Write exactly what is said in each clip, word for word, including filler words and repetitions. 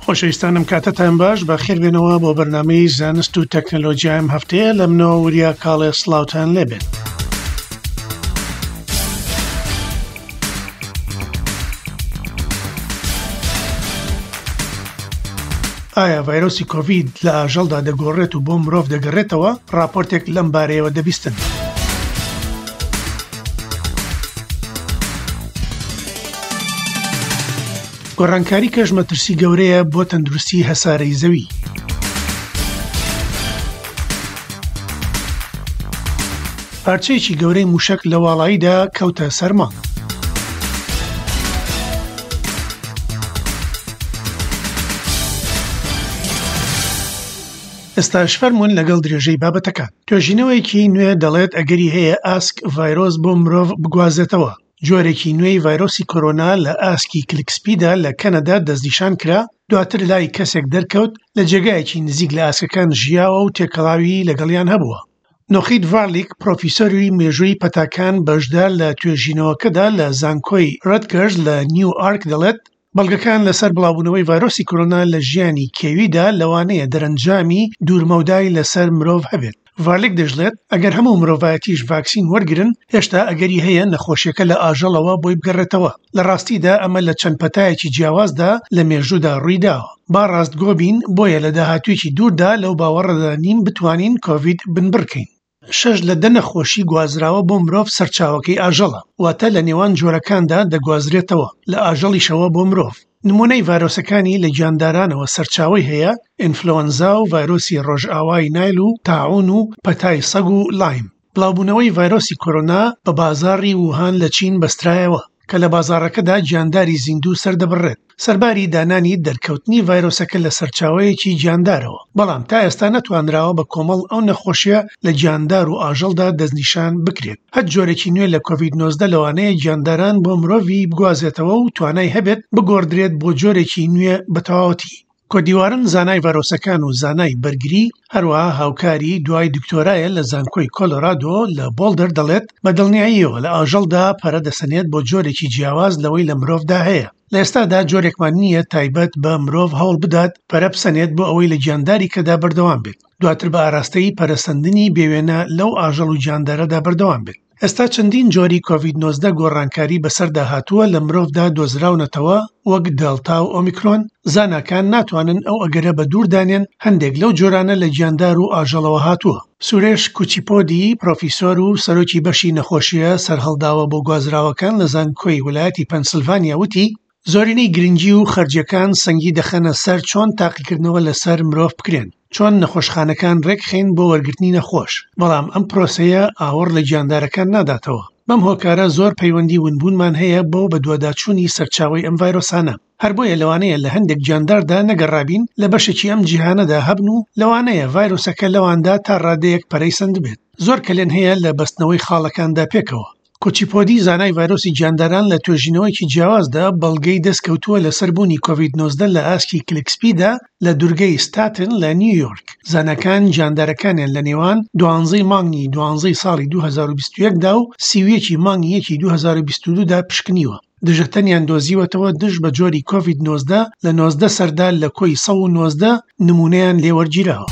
خۆشەویستانم کاتتان باش، بەخێربێنەوە بۆ بەرنامەی زانست و تەکنەلۆژیا ئەم هەفتەیە. لە منەوە وریا کاڵێ سڵاوتان لێبێت. ئایا ڤایرۆسی کۆڤید لە ئاژەڵدا دەگۆڕێت و بۆ مرۆڤ دەگەڕێتەوە؟ راپۆرتێک لەم بارەیەوە دەبیستن. گۆڕانکاری کەش مەترسی گەورەیە بۆ تەندروستی هەسارەی زەوی. پارچەیەکی گەورەی موشک لە واڵاییدا کەوتە سەرما. ئێستاش فەرمونون لەگەڵ درێژەی بابەتەکان. توێژینەوەیەکی نوێ دەڵێت ئەگەری هەیە ئاسک ڤایرۆس بۆ مرۆڤ بگوازێتەوە. جۆرێکی نوێی ڤایرۆسی کۆرۆنا لە ئاسکی کلکسپیدا لە کەنەدا دەستنیشان کرا، دواتر لای کەسێک دەرکەوت لە جێگایەکی نزیک لە ئاسکەکان ژیاوە و تێکەڵاوی لەگەڵیان هەبووە. نۆخید ڤارلیک، پرۆفیسۆری مێژووی پەتاکان بەشدار لە توێژینەوەکەدا لە زانکۆی ڕەتگەرز لە نیو ئارک دەڵێت بەڵگەکان لەسەر بڵاوبوونەوەی ڤایرۆسی کۆرۆنا لە ژیانی کێویدا لەوانەیە دەرەنجامی دوورمەودای لەسەر مرۆڤ هەبێت. ڤارلیک دەژڵێت ئەگەر هەموو مرۆڤایەتیش ڤاکسین وەرگرن، هێشتا ئەگەری هەیە نەخۆشیەکە لە ئاژەڵەوە بۆی بگەڕێتەوە. لە ڕاستیدا ئەمە لە چەند پەتایەکی جیاوازدا لە مێژوودا ڕوویداوە. با ڕاستگۆ بین، بۆیە لە داهاتوویەکی دووردا لەو باوەڕەدا نیم بتوانین کۆڤید بنبڕکەین. شەش لە دە نەخۆشی گوازراوە بۆ مرۆڤ سەرچاوەکەی ئاژەڵە، واتە لە نێوان جۆرەکاندا دەگوازرێتەوە، لە ئاژەڵیشەوە بۆ مرۆڤ. نمونەی ڤایرۆسەکانی لە گیاندارانەوە سەرچاوەی هەیە، ئینفلۆنزا و ڤایرۆسی ڕۆژئاوای نایل و تاعون و پەتای سەگ و لایم. بڵاوبوونەوەی ڤایرۆسی کۆرۆنا بە بازاڕی ووهان لە چین بەسترایەوە کە لە بازاڕەکەدا گیانداری زیندوو سەردەبڕێت، سەرباری دانانی دەرکەوتنی ڤایرۆسەکە لە سەرچاوەیەکی گیاندارەوە، بەڵام تا ئێستا نەتوانراوە بە کۆمەڵ ئەو نەخۆشیە لە گیاندار و ئاژەڵدا دەستنیشان بکرێت. هەر جۆرێکی نوێ لە کۆڤید نۆزدە لەوانەیە گیانداران بۆ مرۆڤی بگوازێتەوە و توانای هەبێت بگۆڕدرێت بۆ جۆرێکی نوێ بە تەواوەتی. کۆدیوارن زانای ڤایرۆسەکان و زانای بەرگری، هەروەها هاوکاری دوای دکتۆرایە لە زانکۆی کۆلۆرادۆ لە بۆڵدەر دەڵێت بە دڵنیاییەوە لە ئاژەڵدا پەرە دەسەنێت بۆ جۆرێکی جیاواز لەوەی لە مرۆڤدا هەیە. لە ئێستادا جۆرێکمان نییە تایبەت بە مرۆڤ هەوڵ بدات پەرە بسەنێت بۆ ئەوەی لە گیانداری کەدا بەردەوام بێت، دواتر بە ئاراستەی پەرەسەندنی بێوێنە لەو ئاژەڵ و گیاندارەدا بەردەوام بێت. ئێستا چەندین جۆری کۆڤید نۆزدە گۆڕانکاری بەسەردا هاتووە لە مرۆڤدا دۆزراونەتەوە وەک دەلتا و ئۆمیکرۆن. زاناکان ناتوانن ئەو ئەگەرە بە دوور دانێن هەندێک لەو جۆرانە لە گیاندار و ئاژەڵەوە هاتووە. سورێش کوچیپۆدی، پرۆفیسۆر و سەرۆکی بەشی نەخۆشیە سەرهەڵداوە بۆ گوازراوەکان لە زانکۆی ویلایەتی پەنسلڤانیا وتی زۆرینەی گرنگی و خەرجیەکان سەنگی دەخەنە سەر چۆن تاقیکردنەوە لەسەر مرۆڤ بکرێن، چۆن نەخۆشخانەکان ڕێکخەین بۆ وەرگرتنی نەخۆش، بەڵام ئەم پرۆسەیە ئاوەڕ لە گیاندارەکان ناداتەوە. بەم هۆکارە زۆر پەیوەندی ونبوونمان هەیە بۆ بەدواداچوونی سەرچاوەی ئەم ڤایرۆسانە. هەر بۆیە لەوانەیە لە هەندێک گیانداردا نەگەڕابین لە بەشێکی ئەم جیهانەدا هەبن و لەوانەیە ڤایرۆسەکە لەواندا تا ڕادەیەک پەرەی سەند بێت. زۆر کەلێن هەیە لە بەستنەوەی خاڵەکاندا پێکەوە. کوچیپۆدی زانای ڤایرۆسی گیانداران لە توێژینەوەیەکی جیاوازدا بەڵگەی دەستکەوتووە لەسەر بوونی کۆڤید نۆزدە لە ئاسکی کلکسپیدا لە دوورگەی ستاتن لە نیویۆرک. زاناکان گیاندارەکانیان لە نێوان دوانزەی مانگی دوانزەی ساڵی دوو هەزار و بیست و یەک دا و سی و یەکی مانگی یەکی دوو هەزار و بیست و دوو دا پشکنیوە. دژەتەنیان دۆزیوەتەوە دژ بە جۆری کۆڤید نۆزدە لە نۆزدە سەردا لە کۆی سەد و نۆزدە نمونەیان لێوەرگیراوە.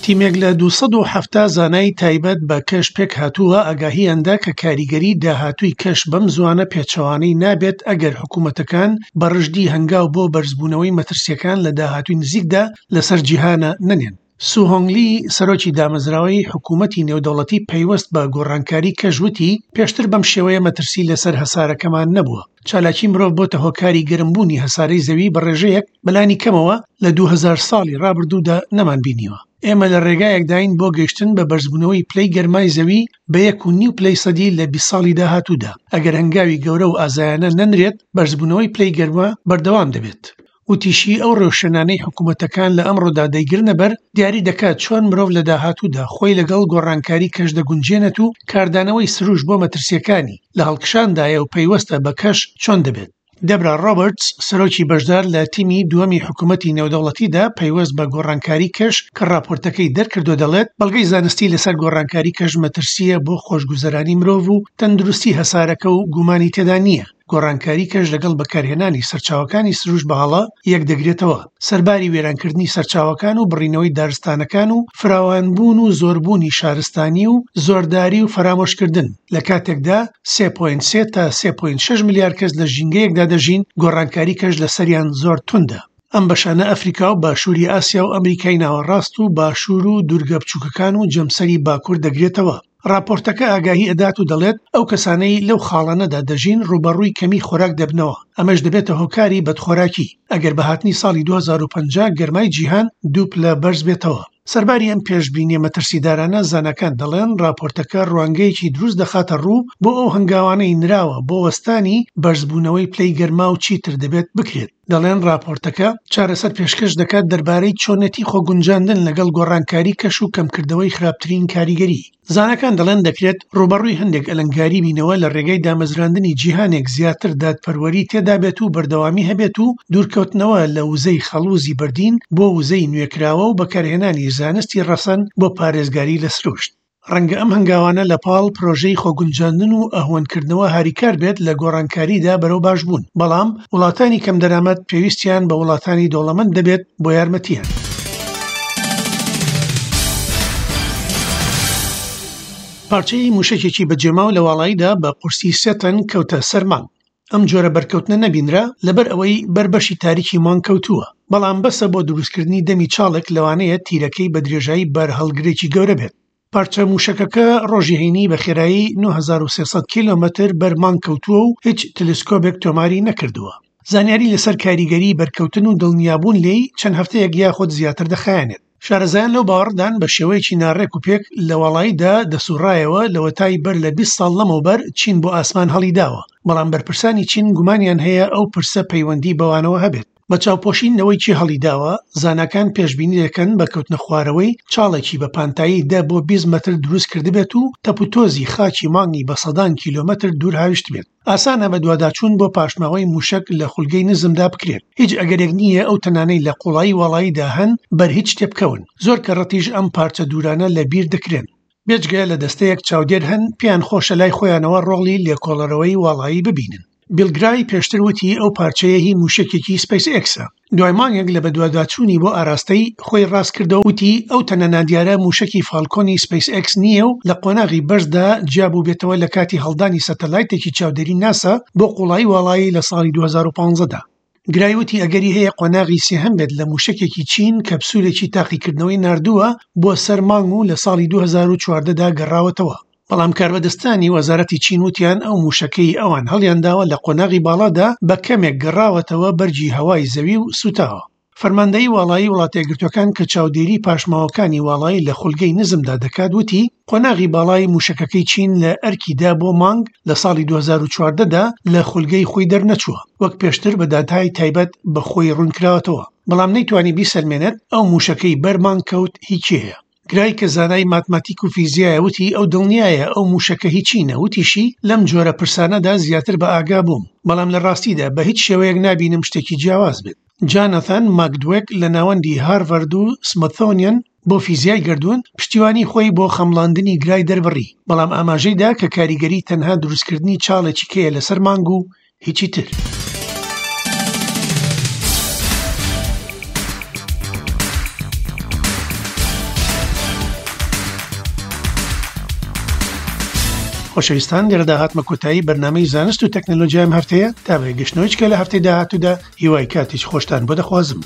تیمێک لە دووسەد و حەفتا زانای تایبەت بە کەش پێک هاتووە ئاگاهیاندا کە کاریگەری داهاتووی کەش بەم زوانە پێچەوانەی نابێت ئەگەر حکوومەتەکان بە ڕژدی هەنگاو بۆ بەرزبوونەوەی مەترسیەکان لە داهاتووی نزیکدا لەسەر جیهانە نەنێن. سو هۆنگلی سەرۆکی دامەزراوەی حکوومەتی نێودەوڵەتی پەیوەست بە گۆڕانکاری کەش وتی پێشتر بەم شێوەیە مەترسی لەسەر هەسارەکەمان نەبووە. چالاکی مرۆڤ بۆتە هۆکاری گەرمبوونی هەسارەی زەوی بە ڕێژەیەک بەلانی کەمەوە لە دوو هەزار ساڵی ڕابردوودا نەمانبینیوە. ئێمە لە ڕێگایەکداین بۆ گەیشتن بە بەرزبوونەوەی پلەی گەرمای زەوی بە یەک و نیو پلەی سەدی لە بیست ساڵی داهاتوودا. ئەگەر هەنگاوی گەورە و ئازایانە نەنرێت، بەرزبوونەوەی پلەی گەرما بەردەوام دەبێت. وتیشی ئەو ڕێوشێنانەی حکوومەتەکان لە ئەمڕۆدا دەیگرنە بەر دیاری دەکات چۆن مرۆڤ لە داهاتوودا خۆی لەگەڵ گۆڕانکاری کەش دەگونجێنێت و کاردانەوەی سروش بۆ مەترسیەکانی لە هەڵکشاندایە و پەیوەستە بە کەش چۆن دەبێت. دەبرا ڕۆبەرتس سەرۆکی بەشدار لە تیمی دووەمی حکوومەتی نێودەوڵەتیدا پەیوەست بە گۆڕانکاری کەش کە راپۆرتەکەی دەرکردو دەڵێت بەڵگەی زانستی لەسەر گۆڕانکاری کەش مەترسیە بۆ خۆشگوزەرانی مرۆڤ و تەندروستی هەسارەکە و گومانی تێدا نییە. گۆڕانکاری کەش لەگەڵ بەکارهێنانی سەرچاوەکانی سروشت بە هەڵە یەکدەگرێتەوە، سەرباری وێرانکردنی سەرچاوەکان و بڕینەوەی دارستانەکان و فراوانبوون و زۆربوونی شارستانی و زۆرداری و فەرامۆشکردن، لە کاتێکدا سێ پۆینت سێ تا سێ پۆینت شەش ملیار کەس لە ژینگەیەکدا دەژین گۆڕانکاری کەش لەسەریان زۆر توندە. ئەم بەشانە ئەفریکا و باشووری ئاسیا و ئەمریکای ناوەڕاست و باشوور و دوورگە بچووکەکان و جەمسەری باکوور دەگرێتەوە. راپۆرتەکە ئاگاهی ئەدات و دەڵێت ئەو کەسانەی لەو خاڵانەدا دەژین ڕووبەڕووی کەمی خۆراک دەبنەوە، ئەمەش دەبێتە هۆکاری بەدخۆراکی ئەگەر بە هاتنی ساڵی دوو هەزار و پەنجا گەرمای جیهان دوو پلە بەرز بێتەوە. سەرباری ئەم پێشبینیە مەترسیدارانە، زاناکان دەڵێن راپۆرتەکە ڕوانگەیەکی دروست دەخاتە ڕوو بۆ ئەو هەنگاوانەی نراوە بۆ وەستانی بەرزبوونەوەی پلەی گەرما و چیتر دەبێت بکرێت. دەڵێن راپۆرتەکە چارەسەر پێشکەش دەکات دەربارەی چۆنێتی خۆگونجاندن لەگەڵ گۆڕانکاری کەش و کەمکردنەوەی خراپترین کاریگەری. زاناکان دەڵێن دەکرێت ڕووبەڕووی هەندێک ئەلەنگاری بینەوە لە ڕێگەی دامەزراندنی جیهانێک زیاتر دادپەروەری تێدا بێت و بەردەوامی هەبێت و دوورکەوتنەوە لە وزەی خەڵوزی بەردین بۆ وزەی نوێکراوە و بەکارهێنانی زانستی ڕەسەن بۆ پارێزگاری لە سروشت. ڕەنگە ئەم هەنگاوانە لە پاڵ پرۆژەی خۆگونجاندن و ئەهوەنکردنەوە هاریکار بێت لە گۆڕانکاریدا بەرەو باشبوون، بەڵام وڵاتانی کەمدەرامەت پێویستیان بە وڵاتانی دەوڵەمەند دەبێت بۆ یارمەتیان. پارچەی موشەکێکی بەجێماو لە واڵاییدا بە قورسی سێ تەن کەوتە سەر مانگ. ئەم جۆرە بەرکەوتنە نەبینرا لەبەر ئەوەی بەر بەشی تاریکی مانگ کەوتووە، بەڵام بەسە بۆ دروستکردنی دەمی چاڵێک لەوانەیە تیرەکەی بە درێژایی بارهەڵگرێکی گەورە بێت. پارچە موشەکەکە ڕۆژی هەینی بە خێرایی نۆ هەزار و سێ سەد کیلۆمەتر بەر مانگ کەوتووە و هیچ تەلەسکۆبێک تۆماری نەکردووە. زانیاری لەسەر کاریگەری بەرکەوتن و دڵنیابوون لێی چەند هەفتەیەک یاخود زیاتر دەخایەنێت. شارەزایان لەو باوەڕدان بە شێوەیەکی ناڕێک و پێک لە واڵاییدا دەسوڕایەوە لەوەتای بەر لە بیست ساڵ لەمەوبەر چین بۆ ئاسمان هەڵیداوە، بەڵام بەرپرسانی چین گومانیان هەیە ئەو پرسە پەیوەندی بەوانەوە هەبێت. بە چاوپۆشین لەوەی چی هەڵیداوە، زاناکان پێشبینی دەکەن بە کەوتنە خوارەوەی چاڵێکی بە پانتایی دە بۆ بیست مەتر دروست کردبێت و تەپوتۆزی خاکی مانگی بە سەدان کیلۆمەتر دوور هاویشت بێت. ئاسانە بە دواداچوون بۆ پاشماوەی موشەک لە خولگەی نزمدا بکرێت. هیچ ئەگەرێک نییە ئەو تەنانەی لە قوڵایی واڵاییدا هەن بەر هیچ تێبکەون. زۆر کەڕەتیش ئەم پارچە دوورانە لە بیر دەکرێن. بێجگە لە دەستەیەک چاودێر هەن پێیان خۆشە لای خۆیانەوە ڕۆڵی لێکۆڵەرەوەی واڵایی ببینن. بیل گرای پێشتر وتی ئەو پارچەیە هی موشەکێکی سپەیس ئێکسە. دوای مانگێک لە بەدواداچوونی بۆ ئاراستەی خۆی ڕاست کردەوە وتی ئەو تەنە نادیارە موشەکی فالکۆنی سپەیس ئێکس نییە و لە قۆناغی بەرزدا جیابوو بێتەوە لە کاتی هەڵدانی سەتەلایتێکی چاودێری ناسا بۆ قوڵایی واڵایی لە ساڵی دوو هەزار و پازدە دا. گرای وتی ئەگەری هەیە قۆناغی سێهەم بێت لە موشەکێکی چین کەپسولێکی تاقیکردنەوەی ناردووە بۆ سەر مانگ و لە ساڵی دوو هەزار و چواردە دا گەڕاوەتەوە. بەڵام کاربەدەستانی وەزارەتی چین وتیان ئەو موشەکەی ئەوان هەڵیانداوە لە قۆناغی باڵادا بە کەمێک گەڕاوەتەوە بەرگی هەوای زەوی و سوتاوە. فەرماندەیی واڵایی وڵاتەیەکگرتوەکان کە چاودێری پاشماوەکانی واڵایی لە خولگەی نزمدا دەکات وتی قۆناغی باڵای موشەکەکەی چین لە ئەرکیدا بۆ مانگ لە ساڵی دوو هەزار و چواردە دا لە خولگەی خۆی دەرنەچووە، وەک پێشتر بە داتای تایبەت بە خۆی ڕوونکراوەتەوە، بەڵام نەیتوانی بیسەلمێنێت ئەو موشەکەی بەر مانگ کەوت هی کێیە. گرای کە زانای ماتماتیک و فیزیایە وتی ئەو دڵنیایە ئەو موشەکە هی چینە، وتیشی لەم جۆرە پرسانەدا زیاتر بە ئاگا بووم، بەڵام لە ڕاستیدا بە هیچ شێوەیەک نابینم شتێکی جیاواز بێت. جانەثان ماکدوێک لە ناوەندی هارڤەرد و سمثۆنیەن بۆ فیزیای گەردوون پشتیوانی خۆی بۆ خەمڵاندنی گرای دەربڕی، بەڵام ئاماژەی دا کە کاریگەری تەنها دروستکردنی چاڵێکی کەیە لەسەر مانگ و هیچی تر. خۆشەویستان، لێرەدا هاتمە کۆتایی بەرنامەی زانست و تەکنەلۆژیام هەفتەیە. تا بە گەشتنەوەی چکە لە هەفتەی داهاتوودا هیوای کاتێکی خۆشتان بۆ دەخوازم.